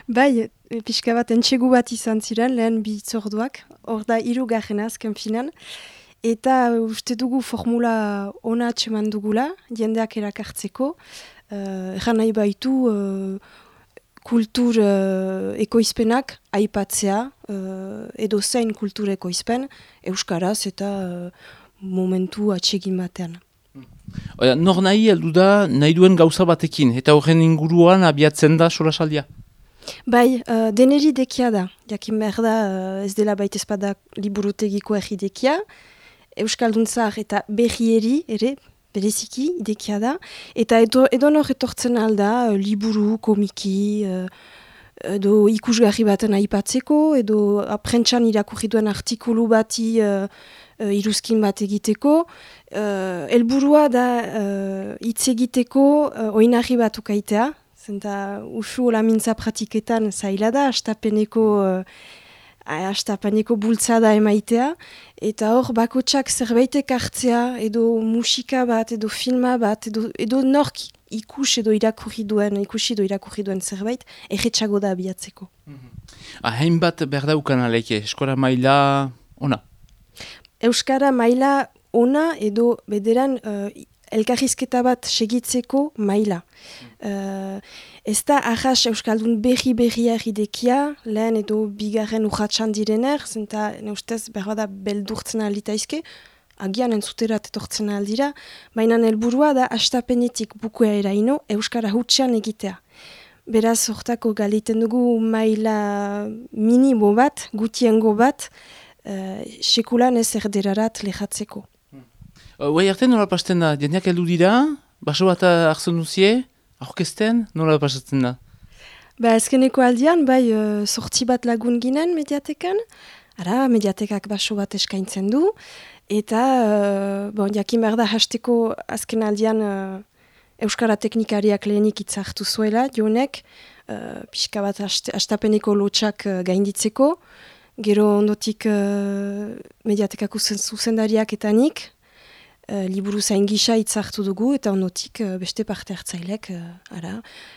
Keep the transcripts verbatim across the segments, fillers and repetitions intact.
Bai, pixka bat entxegu bat izan ziren, lehen bi itzorduak, hor da hirugarren azken finan, eta uste dugu formula ona atseman dugula, jendeak erakartzeko, uh, erran nahi baitu uh, kultur uh, ekoizpenak aipatzea, uh, edo zein kultur ekoizpen, euskaraz eta uh, momentu atsegin batean. Oia, nor nahi heldu da nahi duen gauza batekin, eta horren inguruan abiatzen da solasaldia? Bai, uh, deneri dekia da. Jakin behar da uh, ez dela baita espada liburutegiko erri dekia, Euskalduntzar eta berrieri ere, bereziki dekia da, eta edo, edo nor etortzen alda, uh, liburu, komiki, uh, edo ikusgarri baten aipatzeko, edo aprentsan irakurri duen artikulu bati uh, uh, iruzkin bat egiteko. Uh, elburua da uh, hitz egiteko uh, oinarri bat ukaitea, zenta usu hola mintza pratiketan zaila da, astapeneko, uh, astapeneko bultzada emaitea, eta hor bakotsak zerbaitek hartzea, edo musika bat, edo filma bat, edo, edo nork ikus edo irakurri duen, ikusi edo irakurri duen zerbait, erretxago da abiatzeko. Mm-hmm. Hainbat berdaukan aleke, eskola maila ona? Euskara maila ona edo bederan uh, elkarrizketa bat segitzeko maila. Uh, ez da ahas Euskaldun berri-berria egidekia, lehen edo bigarren urratxan direner, zenta ne ustez behar da beldurtzen alitaizke, agian entzuterat etortzen aldira, baina helburua da astapenetik bukuea eraino Euskara hutsean egitea. Beraz, hortako galiten dugu maila minimo bat, gutiengo bat, uh, sekulan ez erderarat lehatzeko. Guai arte nola pasten da? Jendeak heldu dira? Baso bat hartzen duzie? Aurkezten? Nola pasatzen da? Ba, ezkeneko aldian, bai, uh, sortzi bat lagun ginen mediatekan. Ara, mediatekak baso bat eskaintzen du. Eta, uh, bon, jakin behar da hasteko azken aldian uh, Euskara teknikariak lehenik itzartu zuela, jonek, uh, pixka bat hastapeneko lotxak uh, gainditzeko. Gero ondotik uh, mediatekako zuzendariak eta nik, Uh, liburu zain gisa itzartu dugu, eta ondotik uh, beste parte hartzailek, uh, ara.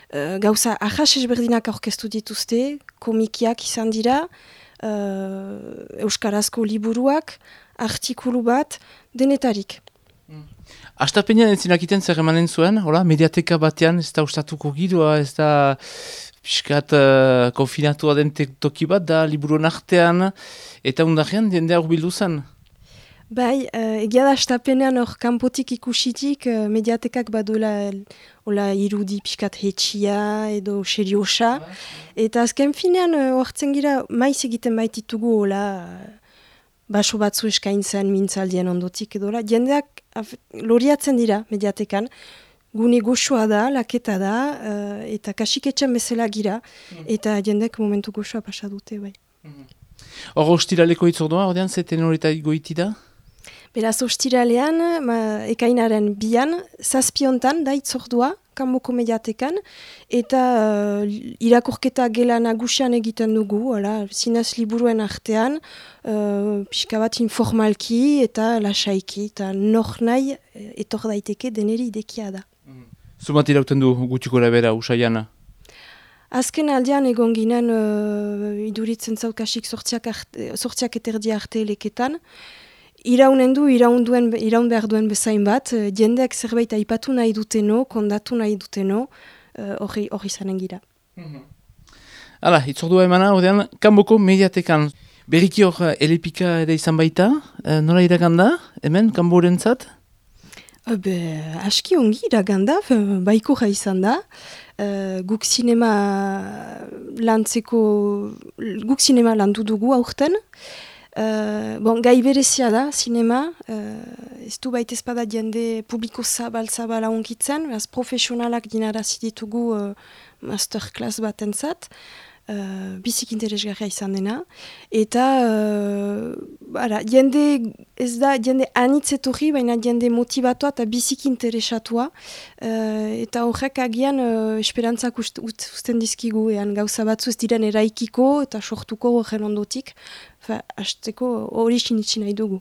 Uh, gauza, ahas ezberdinak aurkeztu dituzte, komikiak izan dira, uh, euskarazko liburuak, artikulu bat, denetarik. Mm. Astapenean ez zinakiten zer emanen zuen, hola, mediateka batean ez da ustatuko giroa, ez da piskat uh, konfinatua den toki bat da, liburuen artean, eta undarrean jendea urbildu zen. Bai, uh, egia da astapenean hor kanpotik ikusitik uh, mediatekak badola hola irudi pixkat hetxia edo seriosa. Eta azken finean hortzen uh, gira maiz egiten baititugu hola uh, baso batzu eskaintzen mintzaldien ondotik edo hola. Jendeak af, loriatzen dira mediatekan. Gune goxoa da, laketa da, uh, eta kasiketxan bezala gira. Mm. Eta jendek momentu goxoa pasa dute, bai. Hor mm. ostiraleko itzordua, ordean zeten horita goiti da? Beraz, ostiralean, ma, ekainaren bian, zazpiontan da itzordua, kanboko mediatekan, eta uh, irakurketa gela nagusian egiten dugu, ala, zinez liburuen artean, uh, pixka bat informalki eta lasaiki, eta nor nahi etor daiteke deneri idekia da. Mm. Zumat irauten du gutxiko labera, usaiana? Azken aldean egon ginen uh, iduritzen zaukasik sortziak eterdi arte leketan, Iraunen du, iraun, duen, iraun behar duen bezain bat, jendeak zerbait aipatu nahi duteno, kondatu nahi duteno, hori uh, zanen gira. Mm-hmm. Hala, itzordua emana, ordean, kanboko mediatekan. Berriki hor, elepika ere izan baita, uh, nola iraganda, hemen, kanboren zat? Uh, be, aski ongi iraganda, baiko ja izan da. Uh, guk sinema lantzeko, guk sinema landu dugu aurten. Uh, bon, gai berezia da, sinema, uh, ez du baita espada jende publiko zabal-zabala onkitzen, beraz profesionalak dinarazi ditugu uh, masterclass bat entzat, uh, bizik interesgarria izan dena, eta uh, bara, jende ez da jende anitzetorri, baina jende motivatua eta bizik interesatua, uh, eta horrek agian uh, esperantzak ust, ust, usten dizkigu, ean gauza batzu ez diren eraikiko eta sortuko horren ondotik, hasteko hori sinitsi nahi dugu.